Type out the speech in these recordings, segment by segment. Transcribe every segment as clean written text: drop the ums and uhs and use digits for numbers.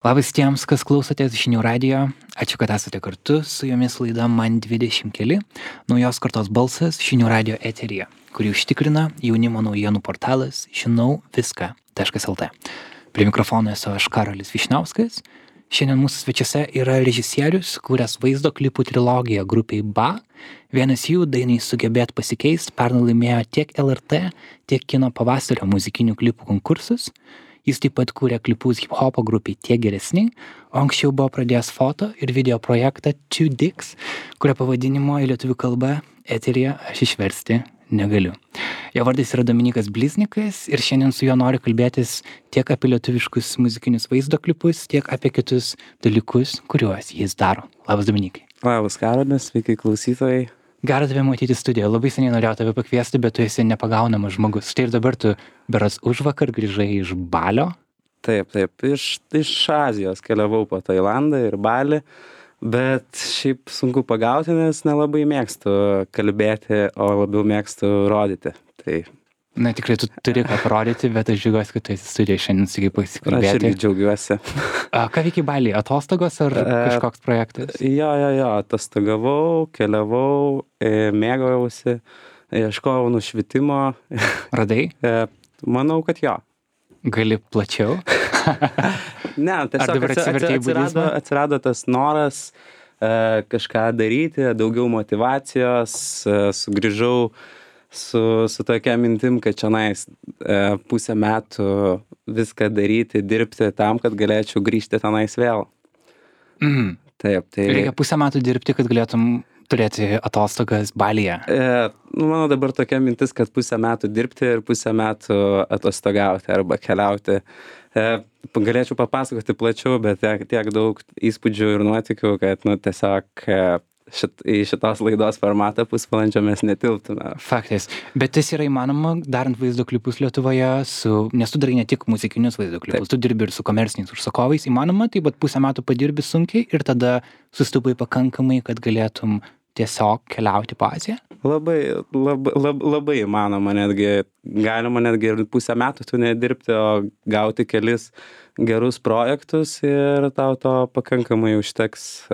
Labas tiems, kas klausotės žinių radijo. Ačiū, kad esate kartu. Su jumis laida Man 20 keli. Naujos kartos balsas žinių radijo eteryje, kurį užtikrina jaunimo naujienų portalas žinauviską.lt. Prie mikrofono esu aš Karolis Vyšniauskas. Šiandien mūsų svečiuose yra režisierius, kūręs vaizdo klipų trilogiją grupiai BA. Vienas jų dainai Sugebėt pasikeist pernai laimėjo tiek LRT, tiek Kino pavasario muzikinių klipų konkursus. Jis taip pat kūrė klipus hip-hopo grupiai Tiek geresni, o anksčiau buvo pradėjęs foto ir video projektą Two Dicks, kurio pavadinimo į lietuvių kalbą eteryje aš išversti negaliu. Jo vardas yra Dominykas Bliznikas ir šiandien su juo noriu kalbėtis tiek apie lietuviškus muzikinius vaizdo klipus, tiek apie kitus dalykus, kuriuos jis daro. Labas, Dominikai. Labas, Karolis, sveiki klausytojai. Gera tave matyti studijoje. Labai seniai norėjau tave pakviesti, bet tu esi nepagaunamas žmogus. Štai ir dabar tu beras užvakar grįžai iš Balio. Taip, iš Azijos keliavau po Tailandą ir Balį, bet šiaip sunku pagauti, nes nelabai mėgstu kalbėti, o labiau mėgstu rodyti. Tai Na, tikrai tu turi ką parodyti, bet aš džiaugiuosi, kad tu esi studijoje šiandien su kaip pasikalbėti. aš irgi džiaugiuosi. Ką veikia Balyje? Atostogos ar kažkoks projektas? Jo, atostogavau, keliavau, mėgavausi, ieškojau nušvitimo. Radai? Manau, kad jo. Gali plačiau? Ne, tiesiog atsirado tas noras kažką daryti, daugiau motyvacijos, sugrįžau su tokia mintim, kad čionais pusę metų viską daryti, dirbti tam, kad galėčiau grįžti tenais vėl. Taip, tai Reikia pusę metų dirbti, kad galėtum turėti atostogas Balyje. Mano dabar tokia mintis, kad pusę metų dirbti ir pusę metų atostogauti arba keliauti. Galėčiau papasakoti plačiau, bet tiek daug įspūdžių ir nuotykių, kad tiesiog į šitos laidos formatą pusvalandžio mes netilptume. Faktais. Bet tas yra įmanoma darant vaizdo klipus Lietuvoje, nes tu darai ne tik muzikinius vaizdo klipus, tu dirbi ir su komerciniais užsakovais. Įmanoma, tai bet pusę metų padirbi sunkiai ir tada sustupai pakankamai, kad galėtum tiesiog keliauti po Aziją? Labai įmanoma, galima netgi ir pusę metų tu nedirbti, o gauti kelis gerus projektus ir tau to pakankamai užteks.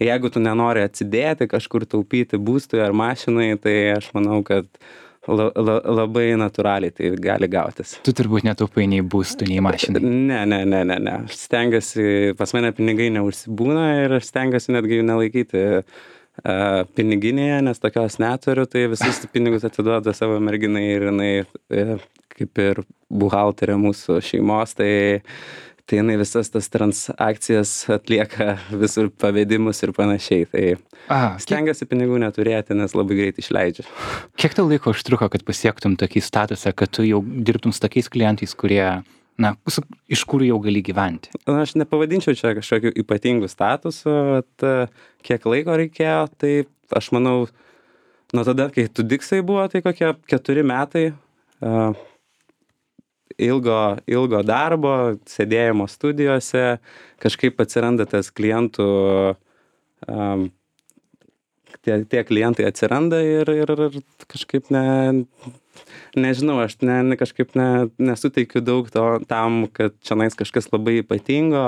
Jeigu tu nenori atsidėti, kažkur taupyti būstui ar mašinai, tai aš manau, kad labai natūraliai tai gali gautis. Tu turbūt netaupai nei būstų, nei mašinai. Ne. Aš stengiuosi, pas mane pinigai neužsibūna ir aš stengiuosi netgi jų nelaikyti piniginėje, nes tokios neturiu, tai visus pinigus atiduoda savo merginai ir jinai kaip ir buhalterė mūsų šeimos, tai jinai visas tas transakcijas atlieka, visur pavedimus ir panašiai. Tai stengiuosi pinigų neturėti, nes labai greit išleidžiu. Kiek tau laiko užtruko, kad pasiektum tokį statusą, kad tu jau dirbtum su tokiais klientais, kurie, iš kur jau gali gyventi? Aš nepavadinčiau čia kažkokiu ypatingu statusu, bet kiek laiko reikėjo, tai aš manau, nuo tada, kai Two Dicksai buvo, tai kokie 4 metai. Ilgo darbo, sėdėjimo studijose, kažkaip atsiranda tas klientų, tie klientai atsiranda ir kažkaip nežinau, aš kažkaip nesuteikiu daug tam, kad čionais kažkas labai ypatingo,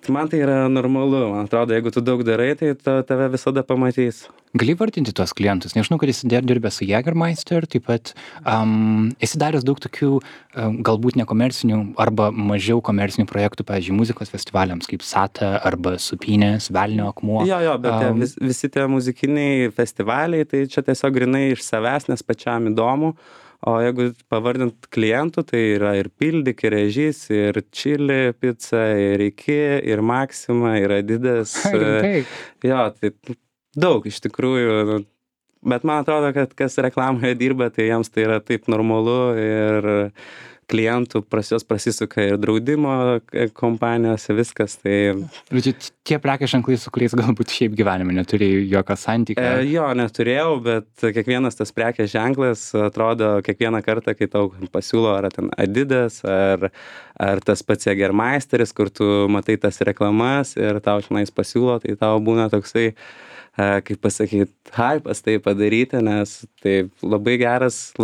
man tai yra normalu, man atrodo, jeigu tu daug darai, tai tave visada pamatys. Gali vardinti tuos klientus? Nežinau, kad esi dirbęs su Jägermeister, taip pat esi daręs daug tokių galbūt nekomercinių arba mažiau komercinių projektų, pavyzdžiui, muzikos festivaliams kaip Sata arba Supynės, Velnio akmuo. Jo, bet visi tie muzikiniai festivaliai, tai čia tiesiog grynai iš savęs, nes pačiam įdomu. O jeigu pavardint klientų, tai yra ir Pildik, ir Režys, ir Chili Pizza, ir Iki, ir Maxima, ir Adidas. Jo, tai daug iš tikrųjų. Bet man atrodo, kad kas reklamoje dirba, tai jiems tai yra taip normalu ir klientų pas juos prasisuka ir draudimo kompanijos, viskas. Tai tie prekės ženklai, su kuriais galbūt šiaip gyvenime neturėjai jokio santykio. Jo, neturėjau, bet kiekvienas tas prekės ženklas atrodo kiekvieną kartą, kai tau pasiūlo ar ten Adidas, ar tas pats Jägermeisteris, kur tu matai tas reklamas ir tau šnais pasiūlo, tai tau būna toksai, kaip pasakyti, hypas tai padaryti, nes tai labai geras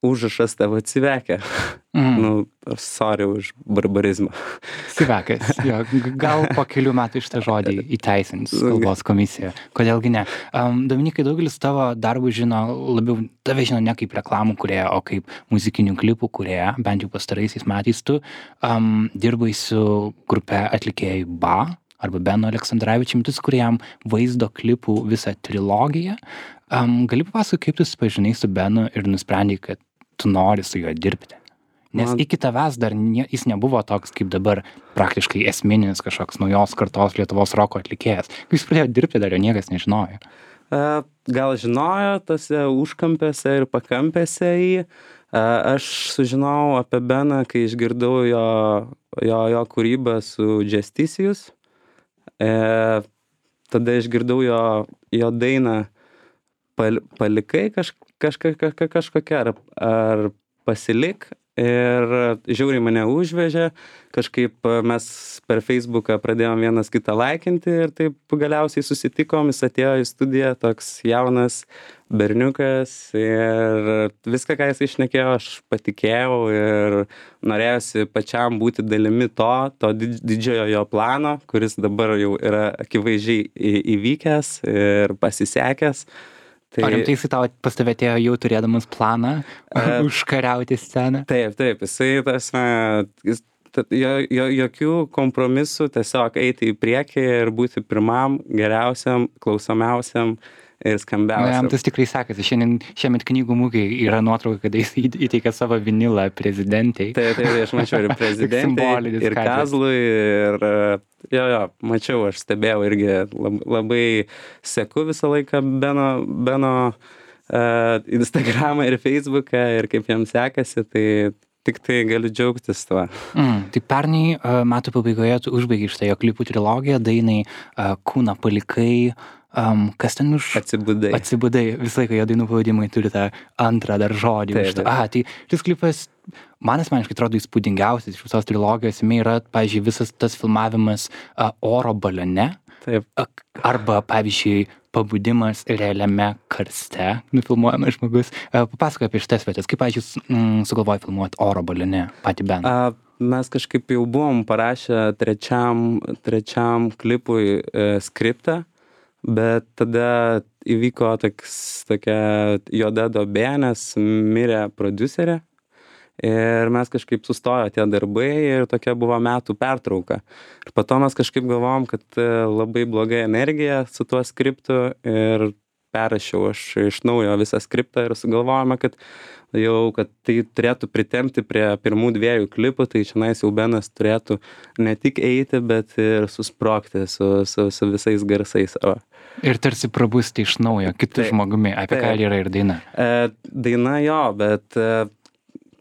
užrašas tavo civekė. Nu, sorry už barbarizmą. Civekas, jo, gal po kelių metų šitą žodį įteisins kalbos komisija. Kodėlgi ne? Dominikai, daugelis tavo darbų žino, labiau tave žino ne kaip reklamų kūrėja, o kaip muzikinių klipų kūrėja, bent jau pastaraisiais metais tu dirbai su grupe atlikėjai BA arba Beno Aleksandravičiumi, tu sukūrėjai vaizdo klipų visą trilogiją. Gali papasakoti, kaip tu susipažinai su Benu ir nusprendei, kad tu nori su juo dirbti? Nes iki tavęs dar jis nebuvo toks kaip dabar praktiškai esminis kažkoks naujos kartos Lietuvos roko atlikėjas. Kai jis pradėjo dirbti, dar jo niekas nežinojo. Gal žinojo tose užkampėse ir pakampėse jį. Aš sužinojau apie Beną, kai išgirdau jo kūrybą su Justicius. Tada išgirdau jo dainą Palikai kažkokia ar Pasilik. Ir žiauriai mane užvežė, kažkaip mes per Facebooką pradėjom vienas kitą laikinti ir taip galiausiai susitikom, jis atėjo į studiją, toks jaunas berniukas ir viską, ką jis išnekėjo, aš patikėjau ir norėjosi pačiam būti dalimi to didžiojo jo plano, kuris dabar jau yra akivaizdžiai įvykęs ir pasisekęs. O rimtai jisai tau pas tave atėjo jau turėdamas planą užkariauti sceną? Taip, jokių kompromisų, tiesiog eiti į priekį ir būti pirmam, geriausiam, klausomiausiam ir skambiausiam. Jam tas tikrai sekasi. Šiemet knygų mugėj yra nuotrauka, kad jis įteikė savo vinilą prezidentei. Taip, aš mačiau ir prezidentei, ir Kazlui, ir mačiau, aš stebėjau irgi labai seku visą laiką Beno Instagramą ir Facebooką ir kaip jam sekasi, tai tik tai galiu džiaugtis tuo. Tai pernai metų pabaigoje tu užbaigi šitą jo klipų trilogiją, dainai Kūną palikai, kas ten už... Atsibudai. Visą laiką jo dainų pavadimai turi tą antrą dar žodį. Tai šis klipas, man asmeniškai atrodo įspūdingiausias iš visos trilogijos. Jame yra, pavyzdžiui, visas tas filmavimas oro balione. Taip. Arba, pavyzdžiui, pabudimas realiame karste, nufilmuojamas žmogus. Papasakok apie šitas vietas. Kaip, pavyzdžiui, sugalvojai filmuoti oro balione patį Beną? Mes kažkaip jau buvom parašę trečiam klipui skriptą, bet tada įvyko tokia juoda duobė, nes mirė prodiuserė. Ir mes kažkaip sustojo tie darbai ir tokia buvo metų pertrauka. Ir po to mes kažkaip galvojom, kad labai bloga energija su tuo skriptu ir perrašiau aš iš naujo visą skriptą ir sugalvojome, kad tai turėtų pritempti prie pirmų 2 klipų, tai čionais jau Benas turėtų ne tik eiti, bet ir susprogti su visais garsais. Ir tarsi prabusti iš naujo kitų žmogumi, apie ką yra ir daina. Daina jo, bet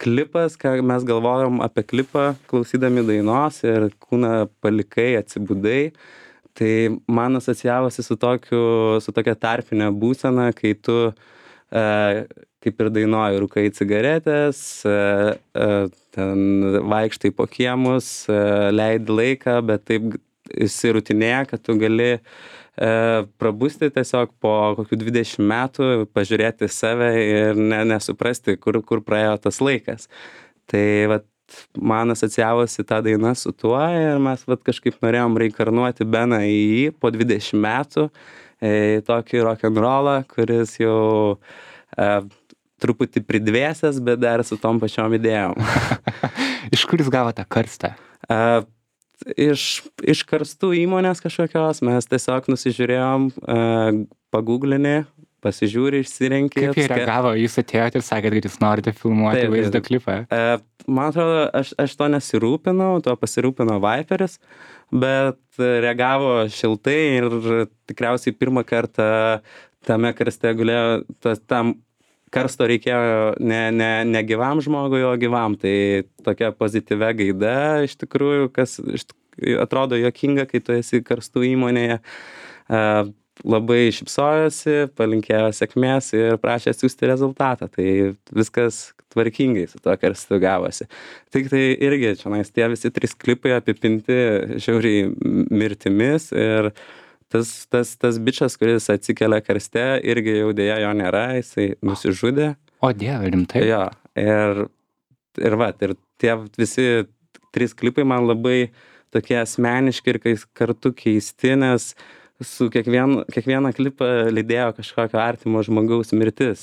klipas, ką mes galvojom apie klipą, klausydami dainos ir Kūną palikai, atsibudai, tai man asocijavosi su tokia tarpinė būsena, kai tu kaip ir dainuoji, rūkai cigaretės, ten vaikštai po kiemus, leidi laiką, bet taip įsirutinėja, kad tu gali prabusti tiesiog po kokių 20 metų, pažiūrėti save ir nesuprasti, kur praėjo tas laikas. Tai vat, man asocijavosi tą dainą su tuo ir mes vat, kažkaip norėjom reinkarnuoti Beną į jį po 20 metų, į tokį rock'n'rollą, kuris jau truputį pridvėsęs, bet dar su tom pačiom idėjom. Iš kur jūs gavo tą karstą? Iš karstų įmonės kažkokios, mes tiesiog nusižiūrėjom, paguglinį, pasižiūri, išsirenki. Kaip jie reagavo, jūs atėjote ir sakėt, kad jūs norite filmuoti vaizdo klipą? Man atrodo, aš to nesirūpinau, to pasirūpino Viperis, bet reagavo šiltai ir tikriausiai pirmą kartą tame karste gulėjo, tam karsto reikėjo ne gyvam žmogui, o gyvam. Tai tokia pozityvia gaida, iš tikrųjų, kas atrodo juokinga, kai tu esi karstų įmonėje. Labai šypsojosi, palinkėjo sėkmės ir prašė atsiųsti rezultatą. Tai viskas tvarkingai su tuo karstu gavosi. Tik tai irgi čionais tie visi 3 klipai apipinti žiauriai mirtimis ir tas bičas, kuris atsikelia karste, irgi jau dėja jo nėra, jisai nusižudė. O Dieve, rimtai? Jo, ir tie visi 3 klipai man labai tokie asmeniški ir kartu keisti, nes su kiekvieną klipą lydėjo kažkokio artimo žmogaus mirtis.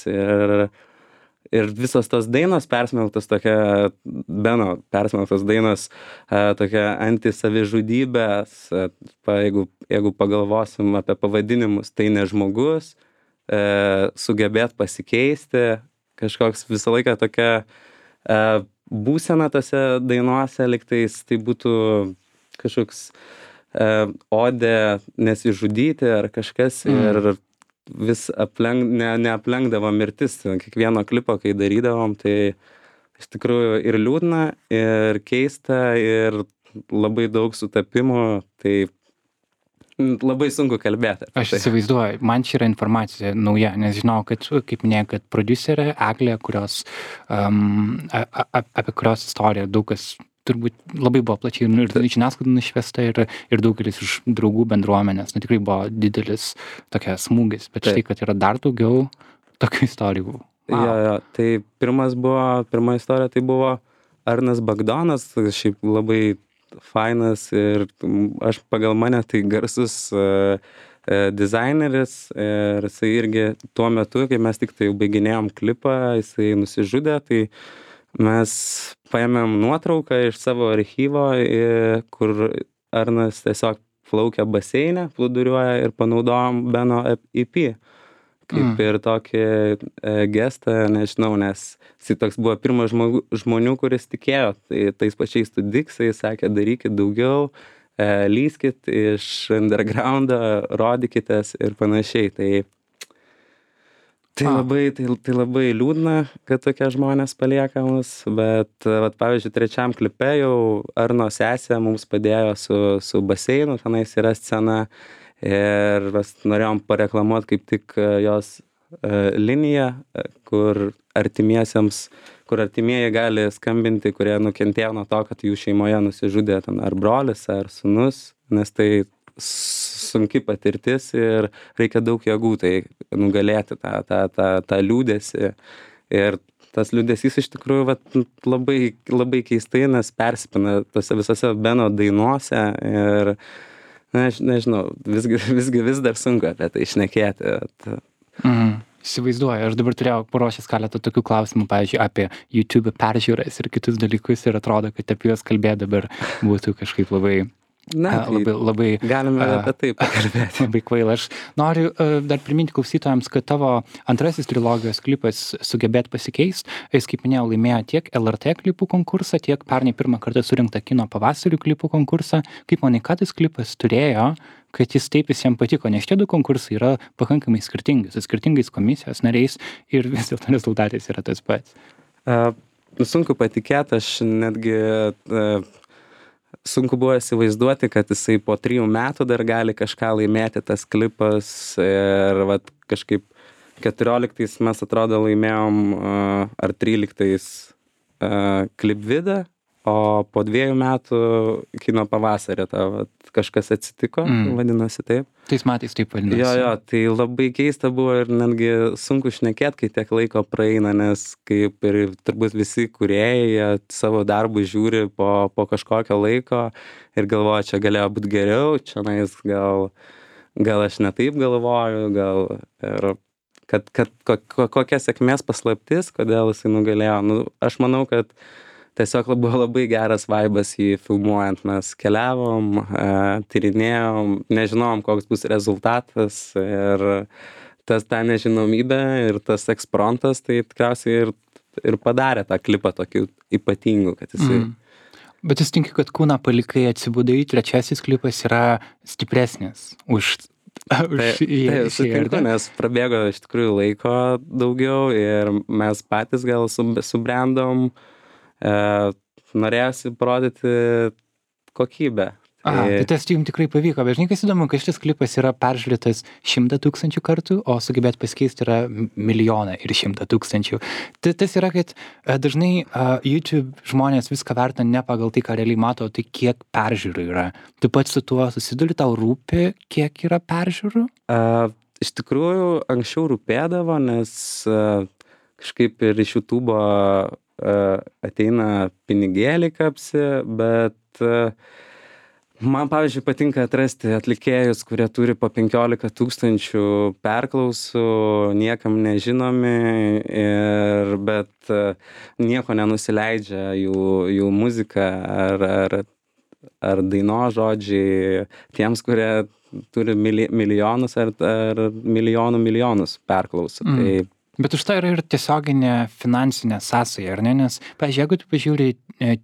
Ir visos tos dainos persmelktos tokia, Beno persmelktos dainos, tokia antisavižudybės, jeigu pagalvosim apie pavadinimus, tai ne žmogus, sugebėt pasikeisti, kažkoks visą laiką tokia būsena tose dainuose, lygtais tai būtų kažkoks odė nesižudyti ar kažkas ir vis neaplenkdavo mirtis. Kiekvieno klipo, kai darydavom, tai iš tikrųjų ir liūdna, ir keista, ir labai daug sutapimų, tai labai sunku kalbėti. Aš įsivaizduoju, man čia yra informacija nauja, nes žinau, kad, kaip minėjau, kad prodiuserė Eglė, apie kurios istoriją daug kas turbūt labai buvo plačiai ir žiniasklaida nušviesta ir daugelis iš draugų bendruomenės, tikrai buvo didelis tokia smūgis, bet štai, kad yra dar daugiau tokių istorijų. Wow. Jo, tai pirma istorija tai buvo Arnas Bagdonas, šiaip labai fainas ir aš pagal mane tai garsus dizaineris ir jisai irgi tuo metu, kai mes tik tai jau baiginėjom klipą, jisai nusižudė, tai mes paėmėm nuotrauką iš savo archyvo, kur Arnas tiesiog plaukia baseine, plūduriuoja ir panaudojom Beno EP. Kaip ir tokį gestą, nežinau, nes jis toks buvo pirmas žmonių, kuris tikėjo. Tai tais pačiais Tudiksai sakė, darykit daugiau, lyskit iš undergroundo, rodykitės ir panašiai. Tai labai liūdna, kad tokie žmonės palieka mus, bet, pavyzdžiui, 3 klipe jau Arno sesė mums padėjo su baseinu, tenais yra scena ir mes norėjom pareklamuoti kaip tik jos liniją, kur artimieji gali skambinti, kurie nukentėjo nuo to, kad jų šeimoje nusižudė ten ar brolis, ar sūnus, nes tai sunki patirtis ir reikia daug jėgų tai nugalėti tą liūdesį. Ir tas liūdesys iš tikrųjų labai, labai keistai, nes persipina tose visose Beno dainuose ir nežinau, visgi vis dar sunku apie tai šnekėti. Įsivaizduoju, aš dabar turėjau paruošęs keletą tokių klausimų, pavyzdžiui, apie YouTube peržiūras ir kitus dalykus ir atrodo, kad apie juos kalbėti dabar būtų kažkaip labai labai galime apie tai pakalbėti. Labai kvaila. Aš noriu dar priminti klausytojams, kad tavo antrasis trilogijos klipas Sugebėt pasikeist, jis, kaip minėjau, laimėjo tiek LRT klipų konkursą, tiek pernai pirmą kartą surinktą kino pavasarių klipų konkursą. Kaip manai, ką tas klipas turėjo, kad jis taip visiems patiko, nes šitie 2 konkursai yra pakankamai skirtingi, su skirtingais komisijos nariais ir vis dėlto rezultatais yra tas pats. Sunku patikėti, aš netgi sunku buvo įsivaizduoti, kad jisai po 3 metų dar gali kažką laimėti tas klipas ir kažkaip 14 mes atrodo laimėjom ar 13 klipvidą, o po 2 metų kino pavasarį kažkas atsitiko, vadinasi taip. Tais metais taip vadinasi. Jo, tai labai keista buvo ir netgi sunku šnekėti, kai tiek laiko praeina, nes kaip ir turbūt visi kūrėjai savo darbų žiūri po kažkokio laiko ir galvoja, čia galėjo būti geriau, čia gal aš ne taip galvoju, gal ir kokia sėkmės paslaptis, kodėl jisai nugalėjo. Aš manau, kad tiesiog buvo labai geras vaibas jį filmuojant. Mes keliavom, tyrinėjom, nežinom, koks bus rezultatas ir ta nežinomybė ir tas ekspromtas, tai tikriausiai ir padarė tą klipą tokiu ypatingu, kad jisai... Bet jūs tinki, kad Kūną palikai atsibudai, 3 klipas yra stipresnis už sutinku, nes prabėgo iš tikrųjų laiko daugiau ir mes patys gal subrendom, norėjosi parodyti kokybę. Tai tas jums tikrai pavyko, bet žinai, kas įdomu, kad šitas klipas yra peržiūrėtas 100 000 kartų, o Sugebėt pasikeisti yra 1 milijoną ir 100 000. Tas yra, kad dažnai YouTube žmonės viską vertina ne pagal tai, ką realiai mato, tai kiek peržiūrų yra. Tu pats su tuo susiduri, tau rūpi, kiek yra peržiūrų? Iš tikrųjų, anksčiau rūpėdavo, nes kažkaip ir iš YouTube'o ateina pinigėliai kapsi, bet man, pavyzdžiui, patinka atrasti atlikėjus, kurie turi po 15 000 perklausų, niekam nežinomi, bet nieko nenusileidžia jų muzika ar dainos žodžiai tiems, kurie turi milijonus ar milijonus perklausų. Tai Bet už tai yra ir tiesioginė finansinė sąsaja, ar ne? Nes, pavyzdžiui, jeigu tu pažiūri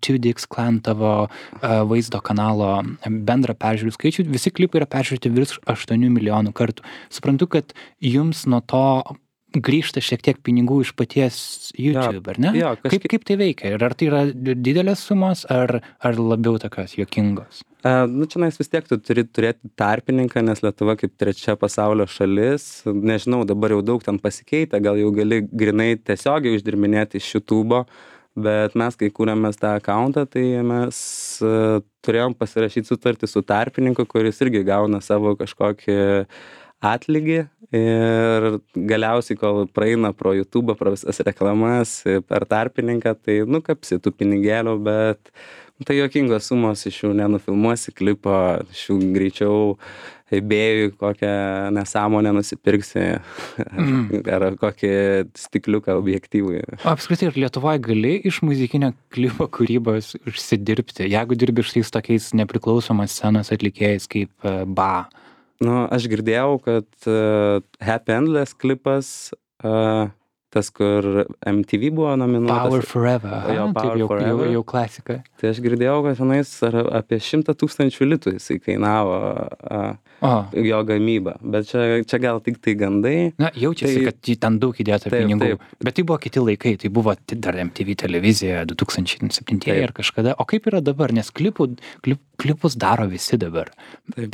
2Dix Clan tavo vaizdo kanalo bendrą peržiūrų skaičių, visi klipai yra peržiūrėti virš 8 milijonų kartų. Suprantu, kad jums nuo to grįžta šiek tiek pinigų iš paties YouTube, ar ne? Jo, kaip tai veikia? Ir ar tai yra didelės sumos, ar labiau tokios juokingos? Čionais vis tiek tu turi turėti tarpininką, nes Lietuva kaip trečia pasaulio šalis, nežinau, dabar jau daug ten pasikeitę, gal jau gali grinai tiesiogiai uždirbinėti iš YouTube'o, bet mes, kai kūrėmės tą accountą, tai mes turėjom pasirašyti sutartį su tarpininku, kuris irgi gauna savo kažkokį atlygį ir galiausiai, kol praeina pro YouTube'ą, pro visas reklamas, per tarpininką, tai kapsi tų pinigėlių, bet tai juokingos sumos, iš jų nenufilmuosi klipo, iš jų greičiau eBay'ui kokią nesąmonę nusipirksi ar kokį stikliuką objektyvui. O apskritai, ir Lietuvoje gali iš muzikinio klipo kūrybos užsidirbti, jeigu dirbi šiais tokiais nepriklausomos scenos atlikėjais kaip BA? Aš girdėjau, kad Happy Endless klipas, tas, kur MTV buvo nominuotas. Power Forever. Jau klasika. Tai aš girdėjau, kad tenais apie 100 000 litų jisai kainavo jo gamybą. Bet čia gal tik tai gandai. Na, jaučiasi, kad ten daug įdėta pinigų. Taip. Bet tai buvo kiti laikai. Tai buvo dar MTV televizija 2007 ir kažkada. O kaip yra dabar? Nes klipus daro visi dabar.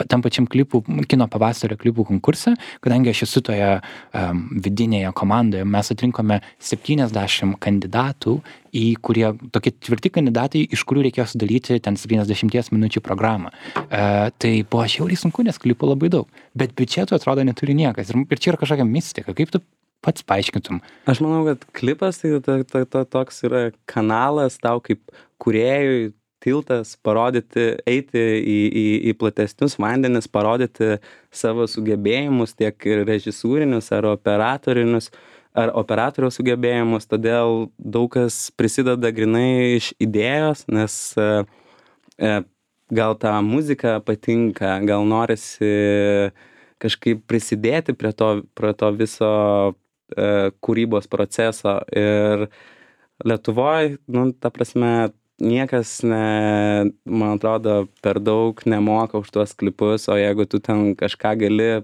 Tam pačiam kino pavasario klipų konkurse, kadangi aš esu toje vidinėje komandoje, mes atrinkome 70 kandidatų, kurie tokie tvirti kandidatai, iš kurių reikėjo sudaryti ten 70 minučių programą. Tai buvo žiauriai sunku, nes klipų labai daug. Bet biudžeto atrodo neturi niekas. Ir čia yra kažkokia mistika. Kaip tu pats paaiškintum? Aš manau, kad klipas tai toks yra kanalas tau kaip kūrėjui, tiltas, parodyti, eiti į platesnius vandenis, parodyti savo sugebėjimus, tiek režisūrinius ar operatoriaus sugebėjimus, todėl daug kas prisideda grinai iš idėjos, nes gal ta muzika patinka, gal norisi kažkaip prisidėti prie to viso kūrybos proceso. Ir Lietuvoje, ta prasme, niekas, man atrodo, per daug nemoka už tuos klipus, o jeigu tu ten kažką gali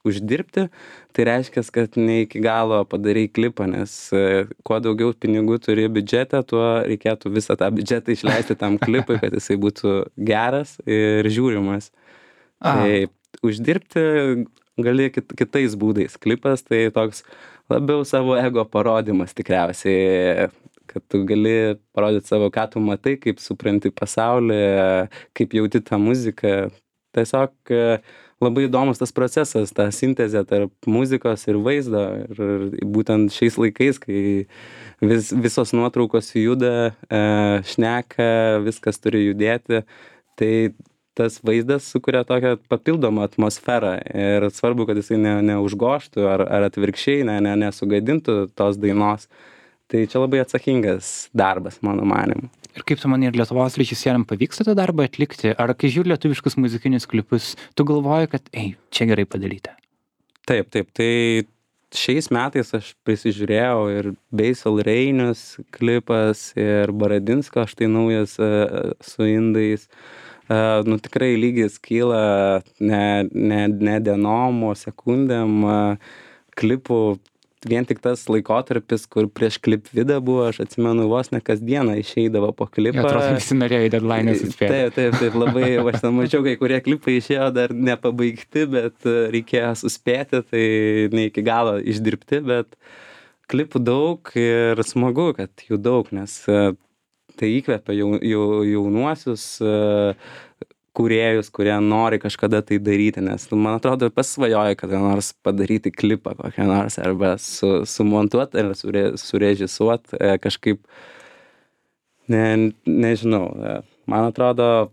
uždirbti, tai reiškia, kad ne iki galo padarai klipą, nes kuo daugiau pinigų turi biudžetą, tuo reikėtų visą tą biudžetą išleisti tam klipui, kad jisai būtų geras ir žiūrimas. Tai uždirbti gali kitais būdais. Klipas tai toks labiau savo ego parodimas tikriausiai, kad tu gali parodyti savo, ką tu matai, kaip supranti pasaulį, kaip jauti tą muziką. Tiesiog labai įdomus tas procesas, ta sintezė tarp muzikos ir vaizdo. Ir būtent šiais laikais, kai visos nuotraukos juda, šneka, viskas turi judėti, tai tas vaizdas sukuria tokią papildomą atmosferą. Ir svarbu, kad jisai neužgoštų ar atvirkščiai nesugadintų tos dainos. Tai čia labai atsakingas darbas, mano manimu. Ir kaip tu manai, ir Lietuvos režisieriam pavyksta tą darbą atlikti? Ar kai žiūri lietuviškus muzikinius klipus, tu galvoji, kad, čia gerai padaryta? Taip. Tai šiais metais aš prisižiūrėjau ir Basil Reinius klipas, ir Baradinsko, štai naujas su indais. Tikrai lygis kyla ne dienom, o sekundėm klipų. Vien tik tas laikotarpis, kur prieš klip vidą buvo, aš atsimenu, vos ne kasdieną išeidavo po klipą. Atrodo, visi norėjo į deadline suspėti. Taip, labai, aš ten mačiau, kai kurie klipai išėjo dar nepabaigti, bet reikėjo suspėti, tai ne iki galo išdirbti, bet klipų daug ir smagu, kad jų daug, nes tai įkvepia jaunuosius kūrėjus, kurie nori kažkada tai daryti, nes man atrodo pasvajoju kada nors padaryti klipą kokią nors arba sumontuot ar surežisuot kažkaip, nežinau, man atrodo,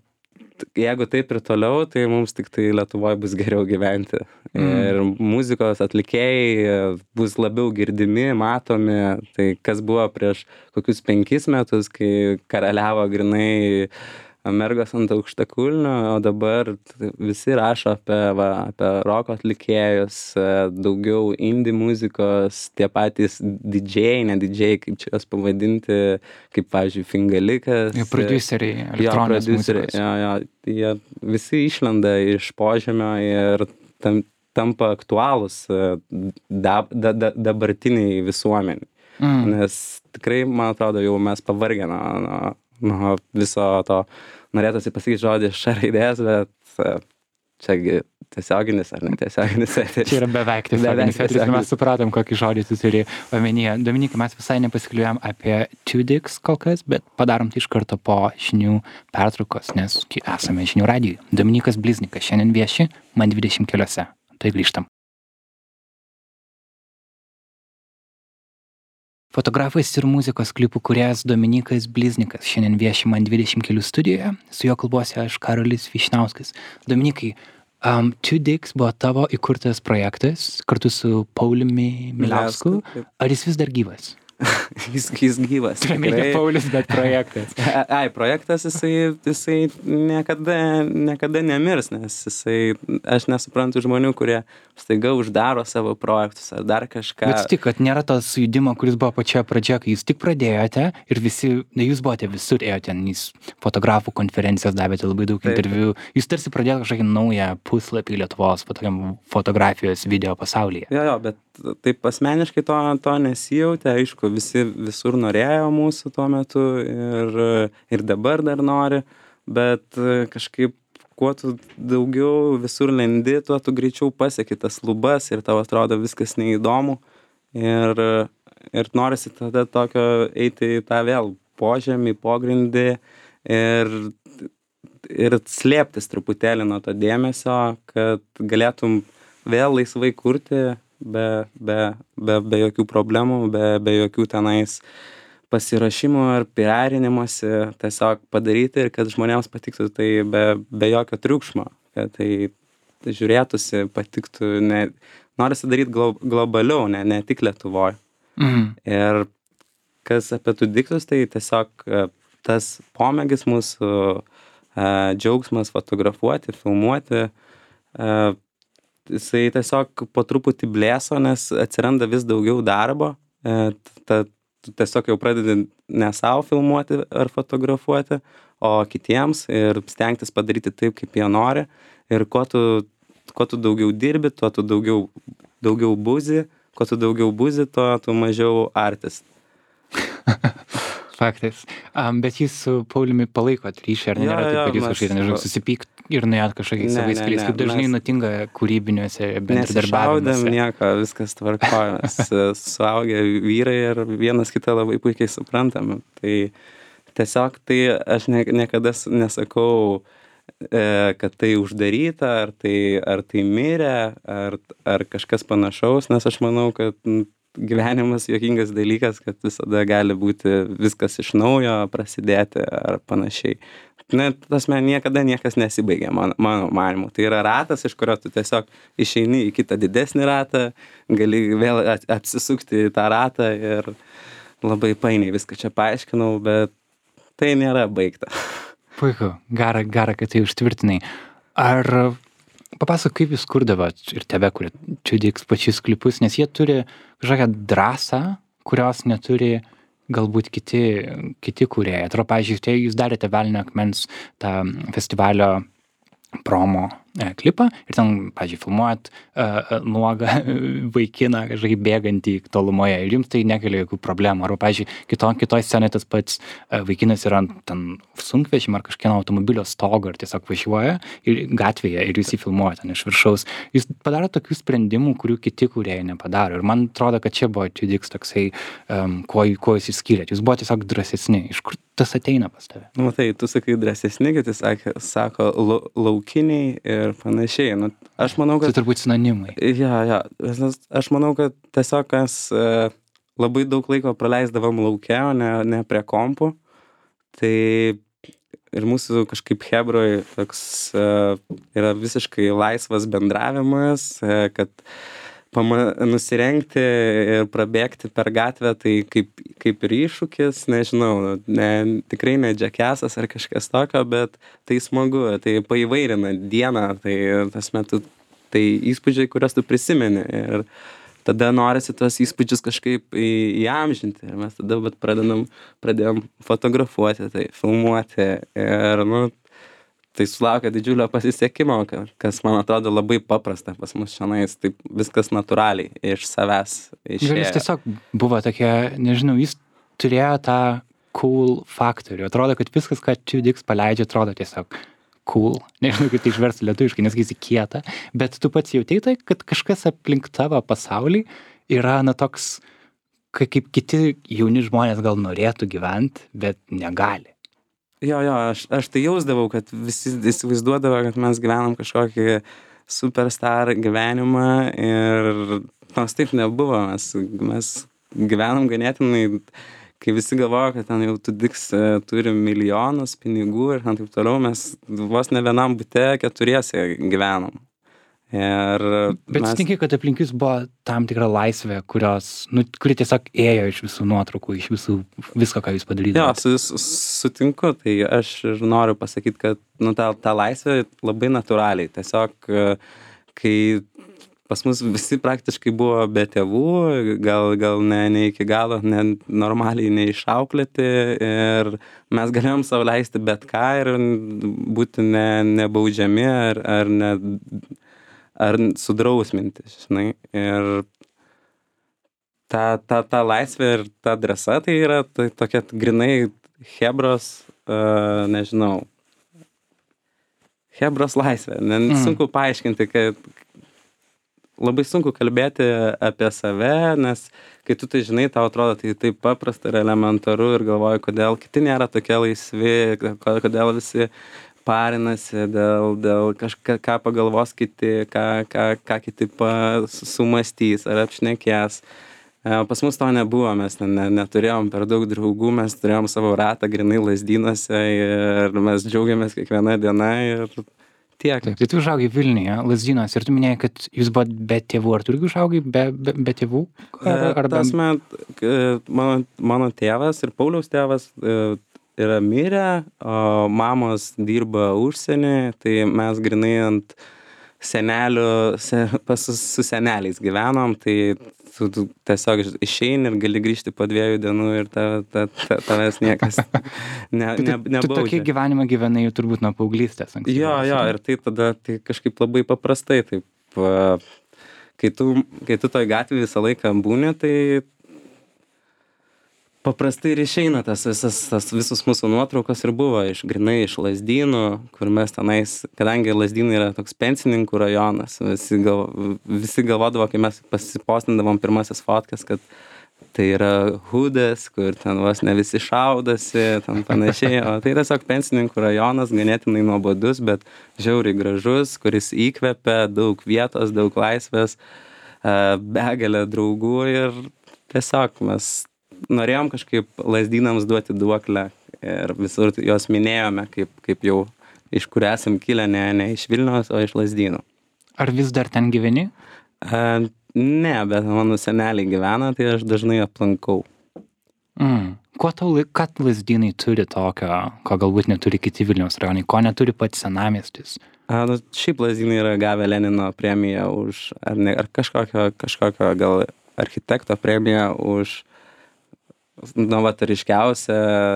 jeigu taip ir toliau, tai mums tik tai Lietuvoje bus geriau gyventi. Ir muzikos atlikėjai bus labiau girdimi, matomi. Tai kas buvo prieš kokius 5 metus, kai karaliavo grinai mergos ant aukštakulnių, o dabar visi rašo apie roko atlikėjus, daugiau indie muzikos, tie patys DJ, ne DJ, kaip čia juos pavadinti, kaip, pavyzdžiui, Fingalikas. Prodiuseriai, elektroninės muzikos. Jo, jie visi išlenda iš požemio ir tampa aktualūs dabartiniai visuomeniai. Nes tikrai, man atrodo, jau mes pavargę nuo viso to, norėtųsi pasakyti žodį š raidės, bet čia tiesioginis ar netiesioginis. Čia yra beveik tiesioginis, ir mes supratom, kokį žodį tu turi omenyje. Dominikai, mes visai nepasikalbėjom apie Two Dicks kol kas, bet padarom tai iš karto po žinių pertraukos, nes esame žinių radijui. Dominikas Bliznikas šiandien vieši Man 20 keliuose. Tai grįžtam. Fotografas ir muzikos klipų kūrėjas Dominikas Bliznikas šiandien vieši Man 20 kelių studijoje. Su juo kalbuosi aš, Karolis Vyšniauskas. Dominikai, Two Dicks buvo tavo įkurtas projektas kartu su Pauliumi Miliausku. Ar jis vis dar gyvas? Jis gyvas. Ne Paulius, bet projektas. Projektas, jisai niekada nemirs, nes aš nesuprantu žmonių, kurie staiga uždaro savo projektus ar dar kažką. Bet tik, kad nėra tos judimo, kuris buvo pačioje pradžioje, kai jūs tik pradėjote ir visi, jūs buvote visur, ėjote, jūs fotografų konferencijas davėte labai daug interviu. Jūs tarsi pradėjote kažkokį naują puslapį Lietuvos fotografijos video pasaulyje. Jo, bet taip asmeniškai to nesijautė, aišku, visi visur norėjo mūsų tuo metu ir dabar dar nori, bet kažkaip kuo tu daugiau visur lendi, tuo tu greičiau pasieki tas lubas ir tau atrodo viskas neįdomu ir norisi tada tokio eiti į tą vėl požemį, pogrindį ir slėptis truputėlį nuo to dėmesio, kad galėtum vėl laisvai kurti be jokių problemų, be jokių tenais pasirašymų ar piarinimosi, tiesiog padaryti ir kad žmonėms patiktų tai be jokio triukšmo, kad tai žiūrėtųsi, patiktų, norisi daryti globaliau, ne tik Lietuvoje. Ir kas apie Two Dicks, tai tiesiog tas pomėgis mūsų, džiaugsmas fotografuoti, filmuoti, jisai tiesiog po truputį blėso, nes atsiranda vis daugiau darbo, tu tiesiog jau pradedi ne savo filmuoti ar fotografuoti, o kitiems ir stengtis padaryti taip, kaip jie nori. Ir kuo tu daugiau dirbi, tuo tu daugiau buzi, kuo tu daugiau buzi, tuo tu mažiau artist. Faktas. Bet jūs su Pauliumi palaikot ryšį, ar nėra taip, kad jūs kažkaip, nežinau, susipykt ir nuėjot kažkokiais savais keliais, kaip dažnai nutinka kūrybiniuose bendradarbiavimuose? Nesišaudėm nieko, viskas tvarkoja, mes suaugę vyrai ir vienas kitą labai puikiai suprantam. Tai tiesiog aš niekada nesakau, kad tai uždaryta, ar tai mirė, ar kažkas panašaus, nes aš manau, kad gyvenimas juokingas dalykas, kad visada gali būti viskas iš naujo prasidėti ar panašiai. Niekada niekas nesibaigia, mano manymu. Tai yra ratas, iš kurio tu tiesiog išeini į kitą didesnį ratą, gali vėl apsisukti į tą ratą ir labai painiai viską čia paaiškinau, bet tai nėra baigta. Puiku, gera, kad tai užtvirtinai. Ar papasakok, kaip jūs kurdavot ir tebe kuria Two Dicks pačius klipus, nes jie turi kažkokią drąsą, kurios neturi galbūt kiti kūrėjai. Atrodo, pavyzdžiui, jūs darėte Velnio akmens tą festivalio promo klipą ir ten, pavyzdžiui, filmuojat nuogą vaikiną kažkaip bėgantį tolumoje ir jums tai nekelia jokių problemų. Arba, pavyzdžiui, kitoj scenoje tas pats vaikinas yra ant ten sunkvežimio ar kažkieno automobilio stogo ir tiesiog važiuoja ir gatvėje ir jūs jį filmuojate ten iš viršaus. Jūs padaro tokių sprendimų, kurių kiti kūrėjai nepadaro. Ir man atrodo, kad čia buvo TUDX toksai, kuo jūs išskyrėt. Jūs buvo tiesiog drąsesni. Iš kur tas ateina pas tave? Matai, tu sakai drąsesni, kiti sako laukiniai ir panašiai. Nu, aš manau, kad... Tai turbūt sinonimai. Ja. Aš manau, kad tiesiog mes labai daug laiko praleisdavom lauke, o ne prie kompų. Tai ir mūsų kažkaip chebroj toks yra visiškai laisvas bendravimas, kad nusirengti ir prabėgti per gatvę, tai kaip ir iššūkis, nežinau, tikrai ne džekesas ar kažkas tokio, bet tai smagu, tai paįvairina dieną, tai tas metu, tai įspūdžiai, kuriuos tu prisimeni ir tada norisi tuos įspūdžius kažkaip įamžinti ir mes tada pradėjom fotografuoti, tai filmuoti ir, tai sulaukia didžiulio pasisekimo, kas, man atrodo, labai paprasta pas mus šiandien, taip viskas natūraliai iš savęs išėjo. Gal jis tiesiog buvo tokia, nežinau, jis turėjo tą cool faktorių. Atrodo, kad viskas, ką TUDX paleidžia, atrodo tiesiog cool. Nežinau, kaip tai išversti lietuviškai, nesakysi kieta, bet tu pats jautei tai, kad kažkas aplink tavo pasaulį yra, toks, kaip kiti jauni žmonės gal norėtų gyventi, bet negali. Jo, aš tai jausdavau, kad visi įsivaizduodavo, kad mes gyvenam kažkokį superstar gyvenimą ir nors taip nebuvo, mes gyvenam ganėtinai, kai visi galvojo, kad ten jau TUDX turi milijonus pinigų ir taip toliau, mes vos ne vienam bute 4 gyvenom. Bet sutinki, kad aplink jūs buvo tam tikra laisvė, kuri tiesiog ėjo iš visų nuotraukų, iš visko, ką jūs padarydavote. Jo, sutinku, tai aš ir noriu pasakyti, kad ta laisvė labai natūraliai. Tiesiog, kai pas mus visi praktiškai buvo be tėvų, gal ne iki galo, normaliai neišauklėti ir mes galėjom savo leisti bet ką ir būti nebaudžiami ar sudrausminti, žinai. Ir ta laisvė ir ta drąsa, tai yra tokia grinai chebros, nežinau, chebros laisvė. Sunku paaiškinti, kad labai sunku kalbėti apie save, nes kai tu tai žinai, tau atrodo tai taip paprasta ir elementaru ir galvoju, kodėl kiti nėra tokie laisvi, kodėl visi parinasi dėl ką pagalvos kiti, ką kiti sumastys ar apšnekės. Pas mus to nebuvo, mes neturėjom per daug draugų, mes turėjom savo ratą grinai Lazdynuose ir mes džiaugiamės kiekvieną dieną ir tiek. Taip, tai tu užaugai Vilniuje, Lazdynuose ir tu minėjai, kad jūs buvot be tėvų, ar tu irgi užaugai be tėvų? Mano tėvas ir Pauliaus tėvas yra mirę, o mamos dirba užsienį, tai mes grinai ant senelių, su seneliais gyvenom, tai tu tiesiog išeini ir gali grįžti po 2 dienų ir tavęs niekas nebaudžia. Tu tokį gyvenimą gyvenai jau turbūt nuo paauglystės. Jo, ir tai tada tai kažkaip labai paprastai, taip, kai tu toj gatvėje visą laiką būni, tai paprastai ir išeina tas visus mūsų nuotraukos ir buvo grinai iš Lazdynų, kur mes tenais, kadangi Lazdynai yra toks pensininkų rajonas, visi galvodavo, kai mes pasipostindavom pirmasis fotkas, kad tai yra hudas, kur ten vos ne visi šaudasi, ten panašiai, o tai tiesiog pensininkų rajonas, ganėtinai nuobodus, bet žiauriai gražus, kuris įkvepia daug vietos, daug laisvės, begalę draugų ir tiesiog mes norėjom kažkaip Lazdynams duoti duoklę ir visur jos minėjome, kaip jau iš kur esam kilę, ne iš Vilniaus, o iš Lazdynų. Ar vis dar ten gyveni? Ne, bet mano seneliai gyvena, tai aš dažnai aplankau. Ką Lazdynai turi tokio, ko galbūt neturi kiti Vilniaus rajonai, ko neturi pats senamiestis? Šiaip Lazdynai yra gavę Lenino premiją už, ar kažkokio gal architekto premiją už novatoriškiausią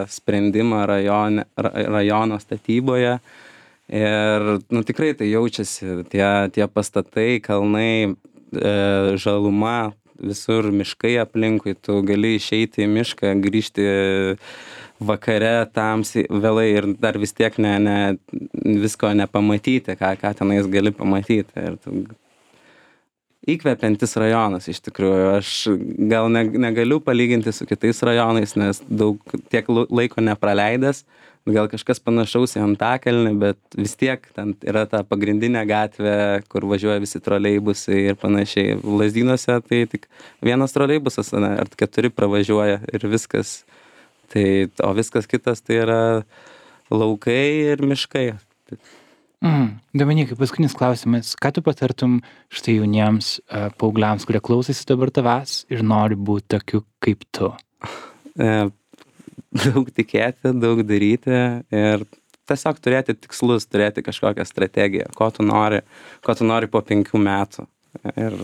sprendimą rajono statyboje Ir, nu, tikrai tai jaučiasi, tie pastatai, kalnai, žaluma, visur miškai aplinkui, tu gali išeiti į mišką, grįžti vakare tamsiai vėlai ir dar vis tiek visko nepamatyti, ką tenais gali pamatyti. Ir tu įkvepiantis rajonas iš tikrųjų. Aš gal negaliu palyginti su kitais rajonais, nes tiek laiko nepraleidęs, gal kažkas panašaus į Antakalnį, bet vis tiek ten yra ta pagrindinė gatvė, kur važiuoja visi troleibusai ir panašiai. Lazdynuose tai tik vienas troleibusas ar 4 pravažiuoja ir viskas. O viskas kitas tai yra laukai ir miškai. Dominikai, paskutinis klausimas. Ką tu patartum štai jauniems paaugliams, kurie klausosi dabar tavęs ir nori būti tokiu kaip tu? Daug tikėti, daug daryti ir tiesiog turėti tikslus, turėti kažkokią strategiją, ko tu nori po 5 metų. Ir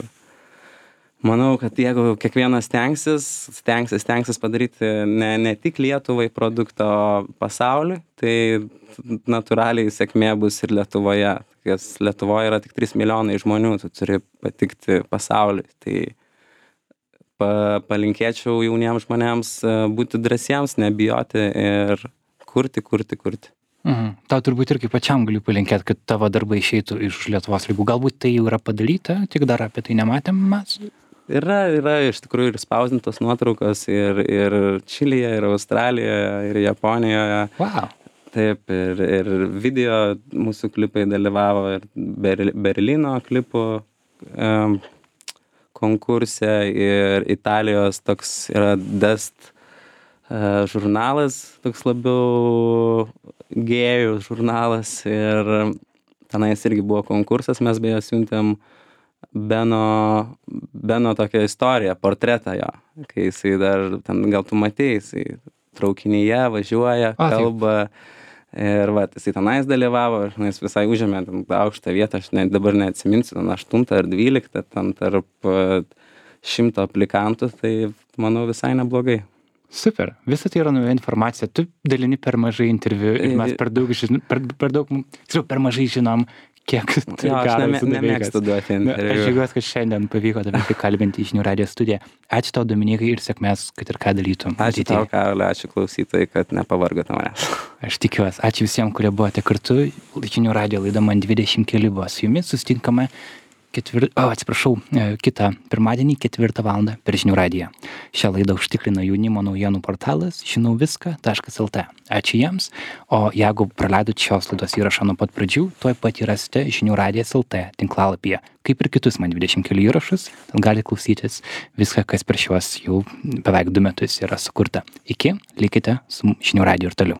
manau, kad jeigu kiekvienas stengsis padaryti ne tik Lietuvai produktą, o pasauliui, tai natūraliai sėkmė bus ir Lietuvoje. Nes Lietuvoje yra tik 3 milijonai žmonių, tu turi patikti pasauliui. Tai palinkėčiau jauniems žmonėms būti drąsiems, nebijoti ir kurti. Tau turbūt irgi pačiam galiu palinkėti, kad tavo darbai išeitų iš Lietuvos ribų. Galbūt tai jau yra padaryta, tik dar apie tai nematėm mes. Yra iš tikrųjų ir spausdintos nuotraukos ir Čilėje, ir Australijoje, ir Japonijoje. Wow. Taip, ir video mūsų klipai dalyvavo, ir Berlyno klipų konkurse, ir Italijos toks yra Dust žurnalas, toks labiau gėjų žurnalas, ir tenais irgi buvo konkursas, mes beje siuntėm Beno tokią istoriją, portretą jo, kai jisai dar, ten gal tu matei, jisai traukinyje važiuoja, kalba, ir jisai tenais dalyvavo, ir jis visai užėmė aukštą vietą, aš dabar neatsiminsiu, 8 ar 12, ten tarp 100 aplikantų, tai manau visai neblogai. Super, visa tai yra nauja informacija, tu dalini per mažai interviu ir mes per mažai žinom, kiek tai aš nemėgstu duoti interviu. Aš džiaugiuosi, kad šiandien pavyko tave prikalbinti į Žinių radijo studiją. Ačiū tau, Dominikai, ir sėkmės, kad ir ką dalytum. Ačiū tau, Karoli, ačiū klausytojai, kad nepavargote manęs. Aš tikiuosi. Ačiū visiems, kurie buvote kartu. Žinių radijo laida Man 20 keli buvo su jumis. Susitinkame kitą pirmadienį 4 valandą per Žinių radiją. Šią laidą užtikrina jaunimo naujienų portalas žinauviską.lt. Ačiū jiems. O jeigu praleidot šios laidos įrašą nuo pat pradžių, tuoj pat rasite Žinių radijas.lt tinklalapyje. Kaip ir kitus Man 20 kelių įrašus, ten gali klausytis viską, kas per šiuos jau beveik 2 metus yra sukurta. Iki, likite su Žinių radiju ir toliau.